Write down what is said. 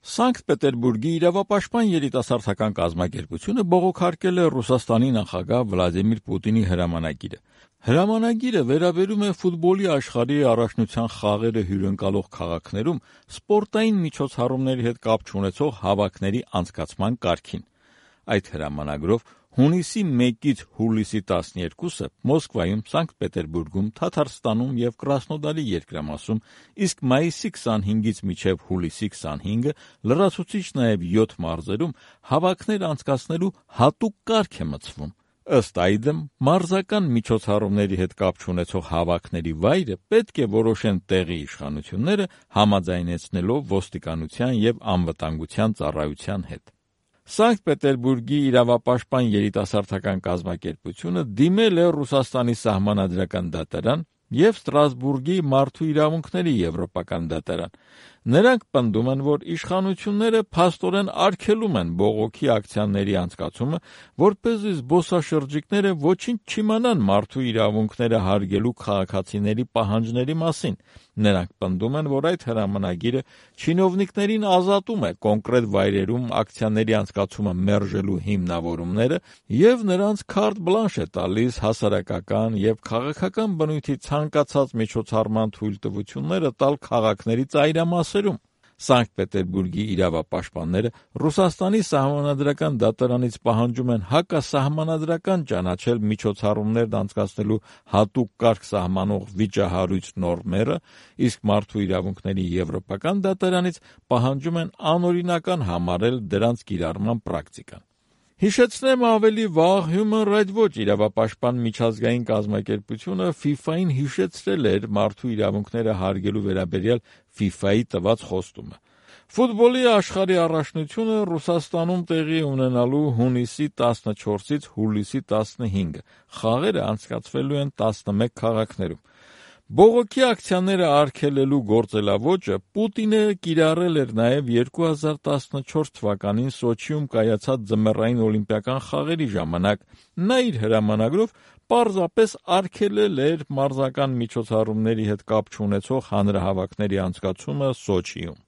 Սանկտ Պետերբուրգի իրավապաշտպան երիտասարդական կազմակերպությունը բողոքարկել է Ռուսաստանի նախագահ Վլադիմիր Պուտինի հրամանագիրը։ Հրամանագիրը վերաբերում է ֆուտբոլի աշխարհի առաջնության խաղերը հյուրընկալող քաղաքներում սպորտային միջոցառումների հետ կապ չունեցող հավաքների անցկացման կարգին։ Այդ հրամանագրով հունիսի 1-ից հուլիսի 12-ը Մոսկվայում, Սանկտ Պետերբուրգում, Թաթարստանում և Կրասնոդարի երկրամասում, իսկ մայիսի 25-ից մինչև հուլիսի 25-ը լրացուցիչ նաև 7 մարզերում հավաքներ անցկացնելու հատուկ կարգ է մտցվում։ Ըստ այդմ, մարզական միջոցառումների հետ կապ չունեցող հավաքների վայրը պետք է որոշեն տեղի իշխանությունները, համաձայնեցնելով ոստիկանության և անվտանգության ծառայության հետ։ Սանկտ Պետերբուրգի իրավապաշտպան երիտասարդական կազմակերպությունը դիմել է Ռուսաստանի սահմանադրական դատարան և Ստրասբուրգի մարդու իրավունքների եվրոպական դատարան։ Նրանք պնդում են, որ իշխանությունները փաստորեն արգելում են բողոքի ակցիաների անցկացումը, որպեսզի զբոսաշրջիկները ոչինչ չիմանան մարդու իրավունքները հարգելու քաղաքացիների պահանջների մասին։ Նրանք պնդում են, որ այդ հրամանագիրը չինովնիկներին ազատում է կոնկրետ վայրերում ակցիաների անցկացումը մերժելու հիմնավորումները և նրանց քարտ բլանշ է տալիս հասարակական և քաղաքական բնույթի ցանկացած միջոցառման թույլտվությունները տալ քաղաքների ծայրամասերում։ Սանկտ Պետերբուրգի իրավապաշտպանները Ռուսաստանի սահմանադրական դատարանից պահանջում են հակասահմանադրական ճանաչել միջոցառումներն անցկացնելու հատուկ կարգ սահմանող վիճահարույց նորմերը, իսկ մարդու իրավունքների եվրոպական դատարանից պահանջում են անօրինական համարել դրանց կիրառման պրակտիկան։ Հիշեցնեմ ավելի վաղ Human Rights Watch իրավապաշտպան միջազգային կազմակերպությունը FIFA-ին հիշեցրել էր մարդու իրավունքները հարգելու վերաբերյալ FIFA-ի տված խոստումը։ Ֆուտբոլի աշխարհի առաջնությունը Ռուսաստանում տեղի ունենալու հունիսի 14-ից հուլիսի 15-ը, խաղերը անցկացվելու են 11 քաղաքներում։ Բողոքի ակցիաները արգելելու գործելավոճը Պուտինը կիրառել էր նաև 2014 թվականին Սոչիում կայացած ձմեռային օլիմպիական խաղերի ժամանակ։ Նա իր հրամանագրով պարզապես արգելել էր մարզական միջոցառումների հետ կապ չունեցող հանրահավաքների անցկացումը Սոչիում։